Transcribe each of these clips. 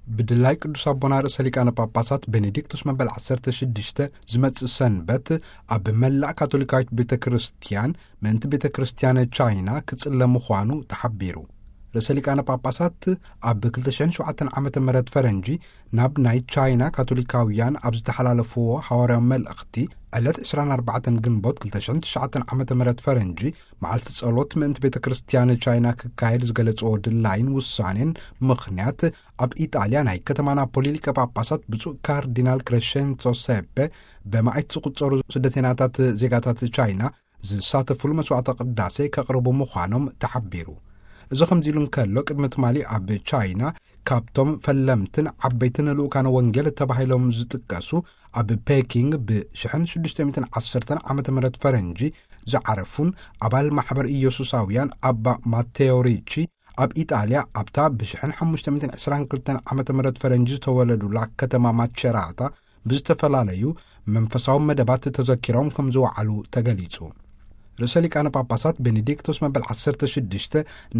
ብድላይ ቅዱስ ኣቦና ርእሰ ሊቃነ ጳጳሳት ቤኔዲክቱስ መበል ዓሰርተ ሽዱሽተ ዝመጽእ ሰንበት ኣብ መላእ ካቶሊካዊት ቤተ ክርስቲያን ምእንቲ ቤተ ክርስቲያን ቻይና ክጽለ ምዃኑ ተሓቢሩ። ርእሰ ሊቃነ ጳጳሳት ኣብ ክልተ ሽሕን ሸውዓተን ዓመተ ምህረት ፈረንጂ ናብ ናይ ቻይና ካቶሊካውያን ኣብ ዝተሓላለፍዎ ሓዋርያዊ መልእኽቲ፣ ዕለት ዕስራን ኣርባዕተን ግንቦት ክልተ ሽሕን ትሽዓተን ዓመተ ምህረት ፈረንጂ መዓልቲ ጸሎት ምእንቲ ቤተ ክርስቲያን ቻይና ክካየድ ዝገለጽዎ ድላይን ውሳኔን ምኽንያት፣ ኣብ ኢጣልያ ናይ ከተማ ናፖሊ ሊቀ ጳጳሳት ብፁዕ ካርዲናል ክሬሸንሶ ሴፔ ብመዓት ዝቑጸሩ ስደተኛታት ዜጋታት ቻይና ዝሳተፉሉ መስዋዕተ ቅዳሴ ከቕርቡ ምዃኖም ተሓቢሩ። እዚ ከምዚ ኢሉ እንከሎ፣ ቅድሚ ትማሊ ኣብ ቻይና ካብቶም ፈለምትን ዓበይትን ልኡካነ ወንጌል ተባሂሎም ዝጥቀሱ፣ ኣብ ፔኪንግ ብሽሕን ሽዱሽተ ሚእትን ዓሰርተን ዓመተ ምህረት ፈረንጂ ዝዓረፉን ኣባል ማሕበር ኢየሱሳውያን ኣባ ማቴዎ ሪቺ፣ ኣብ ኢጣልያ ኣብታ ብሽሕን ሓሙሽተ ሚእትን ዕስራን ክልተን ዓመተ ምህረት ፈረንጂ ዝተወለዱላ ከተማ ማቸራታ ብዝተፈላለዩ መንፈሳዊ መደባት ተዘኪሮም ከም ዝወዓሉ ተገሊጹ። ርእሰ ሊቃነ ጳጳሳት ቤኔዲክቶስ መበል ዓሰርተ ሽዱሽተ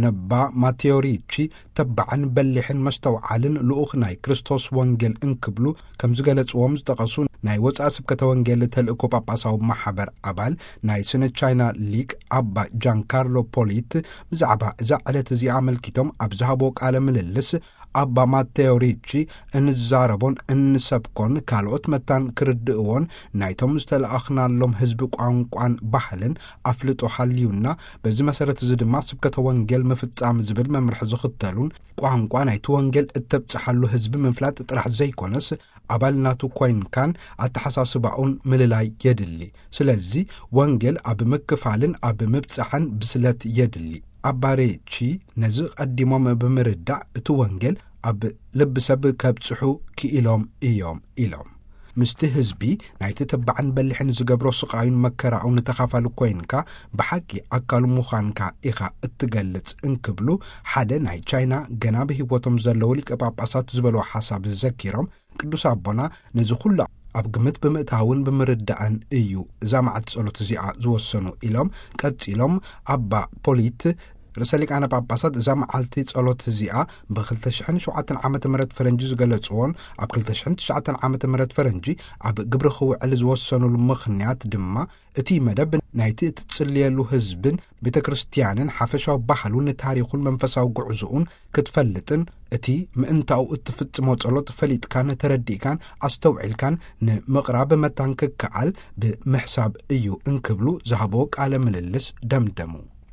ነባ ማቴዎ ሪቺ ተባዕን በሊሕን መስተውዓልን ልኡኽ ናይ ክርስቶስ ወንጌል እንክብሉ ከም ዝገለጽዎም ዝጠቐሱ ናይ ወጻኢ ስብከተ ወንጌል ተልእኮ ጳጳሳዊ ማሕበር ኣባል ናይ ስነ ቻይና ሊቅ ኣባ ጃንካርሎ ፖሊት ብዛዕባ እዛ ዕለት እዚኣ ኣመልኪቶም ኣብ ዝሃቦ ቃለ ምልልስ ኣባ ማቴዎ ሪቺ እንዛረቦን እንሰብኮን ካልኦት መታን ክርድእዎን ናይቶም ዝተለኣኽናሎም ህዝቢ ቋንቋን ባህልን ኣፍልጦ ሃልዩና፣ በዚ መሰረት እዚ ድማ ስብከተ ወንጌል ምፍጻም ዝብል መምርሒ ዝኽተሉን ቋንቋ ናይቲ ወንጌል እተብጽሓሉ ህዝቢ ምፍላጥ ጥራሕ ዘይኮነስ ኣባል ናቱ ኮይንካን ኣተሓሳስባኡን ምልላይ የድሊ። ስለዚ ወንጌል ኣብ ምክፋልን ኣብ ምብጻሕን ብስለት የድሊ። ኣባ ሪቺ ነዚ ቀዲሞም ብምርዳእ እቲ ወንጌል ኣብ ልቢ ሰብ ከብጽሑ ክኢሎም እዮም ኢሎም። ምስቲ ህዝቢ ናይቲ ተባዕን በሊሕን ዝገብሮ ስቓዩን መከራኡን ተኻፋሊ ኮይንካ ብሓቂ ኣካሉ ምዃንካ ኢኻ እትገልጽ እንክብሉ ሓደ ናይ ቻይና ገና ብህይወቶም ዘለዉ ሊቀ ጳጳሳት ዝበሎ ሓሳብ ዘኪሮም ቅዱስ ኣቦና ነዚ ኩሉ ኣብ ግምት ብምእታውን ብምርዳእን እዩ እዛ መዓልቲ ጸሎት እዚኣ ዝወሰኑ ኢሎም ቀጺሎም ኣባ ፖሊት ርእሰ ሊቃነ ጳጳሳት እዛ መዓልቲ ጸሎት እዚኣ ብ ክልተ ሽሕን ሸውዓተን ዓመተ ምህረት ፈረንጂ ዝገለጽዎን ኣብ ክልተ ሽሕን ትሽዓተን ዓመተ ምህረት ፈረንጂ ኣብ ግብሪ ክውዕል ዝወሰኑሉ ምኽንያት ድማ እቲ መደብ ናይቲ እትጽልየሉ ህዝብን ቤተ ክርስቲያንን ሓፈሻዊ ባህሉን ታሪኹን መንፈሳዊ ጉዕዞኡን ክትፈልጥን እቲ ምእንታኡ እትፍጽሞ ጸሎት ፈሊጥካን ተረዲእካን ኣስተውዒልካን ንምቕራብ መታን ክከኣል ብምሕሳብ እዩ እንክብሉ ዝሃቦ ቃለ ምልልስ ደምደሙ።